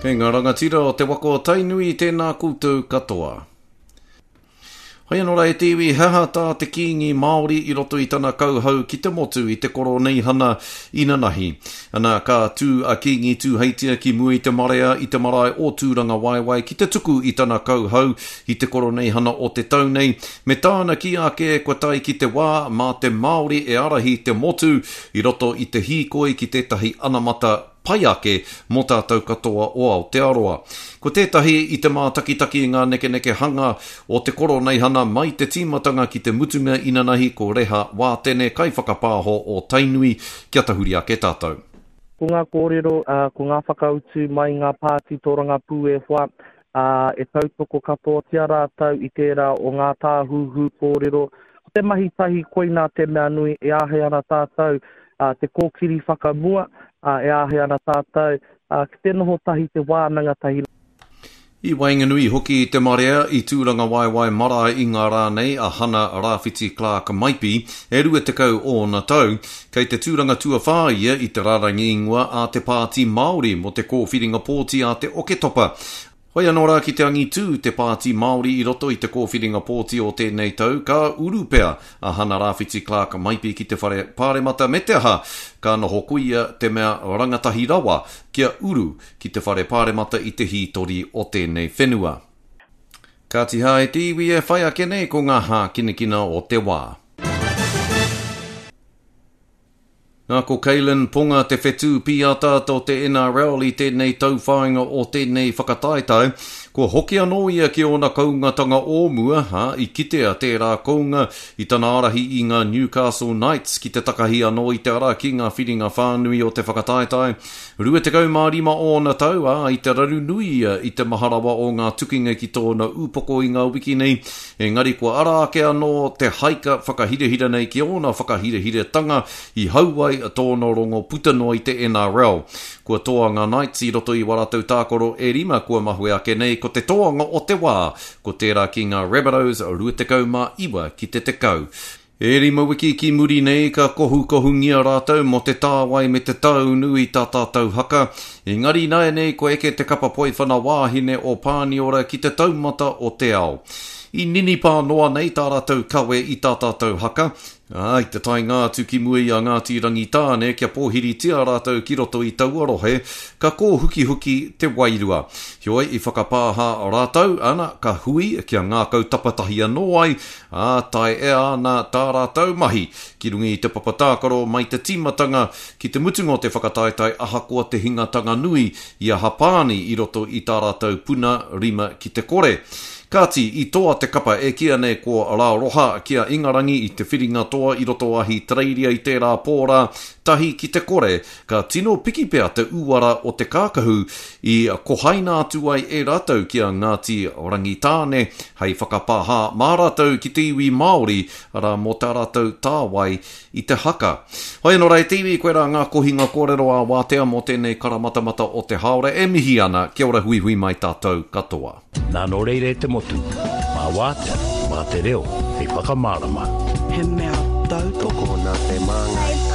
Kei ngā rangatira o te waka o Tainui, tēnā koutou katoa. Hoi anō rā e te iwi, he aha tā te Kīngi Māori i roto i tana kauhau ki te motu i te Koroneihana inanahi? Ana, ka tū a Kīngi Tūheitia ki mua i te marea i te marae o Tūrangawaewae ki te tuku i tana kauhau i te Koroneihana o te tau nei, me tāna kī ake kua tae ki te wā mā te Māori e ārahi te motu i roto i te hīkoi ki tētahi anamata pai ake mō tātou katoa o Aotearoa. Ko tētahi i te mātakitaki i ngā nekenekehanga o te Koroneihana mai te tīmatanga ki te mutunga inanahi ko Reha Wātene, kaiwhakapāho o Tainui, kia tahuri ake tātou. Ko ngā kōrero, ko ngā whakautu mai ngā pāti tōrangapū e hoa, ā, e tautoko katoatia rātou i tērā o ngā tāhuhu kōrero. Ko te mahi tahi koinā te mea nui e āhei ana tātou te kōkiri whakamua, ā, e āhei ana tātou ki te noho tahi, te wānanga tahi. I waenganui hoki i te marea i Tūrangawaewae marae i ngā rā nei a Hana Rāwhiti Clark Maipi, e 20 ōna tau. Kei te tūranga tuawhā ia i te rārangi ingoa a te Pāti Māori mō te kōwhiringa pōti a te Oketopa. Hoi anō rā ki te angitū te Pāti Māori i roto i te kōwhiringa pōti o tēnei tau, ka uru pea a Hana Rāwhiti Clark Maipi ki te Whare Pāremata me te aha, ka noho ko ia te mea rangatahi rawa kia uru ki te Whare Pāremata i te hītori o tēnei whenua. Kāti hā e te iwi e whai ake nei ko ngā hākinakina o te wā. Nā, ko Kalyn Ponga te whetū pīataata o te NRL i tēnei tauwhāinga o tēnei whakataetae. Kua hoki anō ia ki ōna koungatanga o mua, ā, i kitea tērā kounga i tana ārahi i ngā Newcastle Knights ki te takahi anō i te ara ki ngā whiringa whānui o te whakataetae. 25 ōna tau, ā, i te raru nui ia i te maha rawa o ngā tukinga ki tōna upoko i ngā wiki nei, Engari kua ara ake anō te haika whakahirahira nei ki ōna whakahirahiratanga i hau ai tōna rongo puta noa i te NRL. Kua toa ngā Knights i roto i wā rātou tākaro e rima kua mahue ake nei ko te toanga o te wā ko tērā ki ngā Rabbitohs 29 ki te 10. E rima wiki ki muri nei ka kohukohungia rātou mō te tāwai me te tāunu i tā tātou haka, engari ināianei kua eke te kapa poiwhana wāhine o Pāniora ki te taumata o te ao. I ninipā noa nei tā rātou kawe i tā tātou haka, ā, i te taenga atu ki mua i a Ngāti Rangitāne kia pōhiritia rātou ki roto i taua rohe, ka kōhukihuki te wairua. Heoi, i whakapāha rātou, ana, ka hui kia ngākau tapatahi anō ai, ā, taea ana tā rātou mahi ki runga i te papa tākaro mai te tīmatanga ki te mutunga o te whakataetae ahakoa te hingatanga nui i a Hapāni i roto i tā rātou puna rima ki te kore. Kāti, i toa te kapa e kīa nei ko Rā Roha ki a Ingarangi i te whiringa toa i roto o Ahitereiria i tērā pō rā, tahi ki te kore, ka tino piki pea te uara o te kākahu i kohaina atu ai e rātou ki a Ngāti Rangitāne hei whakapāha mā rātou ki te iwi Māori, arā, mō tā rātou tāwai i te haka. Hoi anō rā e te iwi, koirā ngā kohinga kōrero ā-wātea mō tēnei karamatamata o te hāora e mihi ana, kia ora huihui mai tātou katoa. Nā nō reira e te motu, mā Wātea, mā te reo hei whakamārama. He mea tautoko. Tokona te māngai.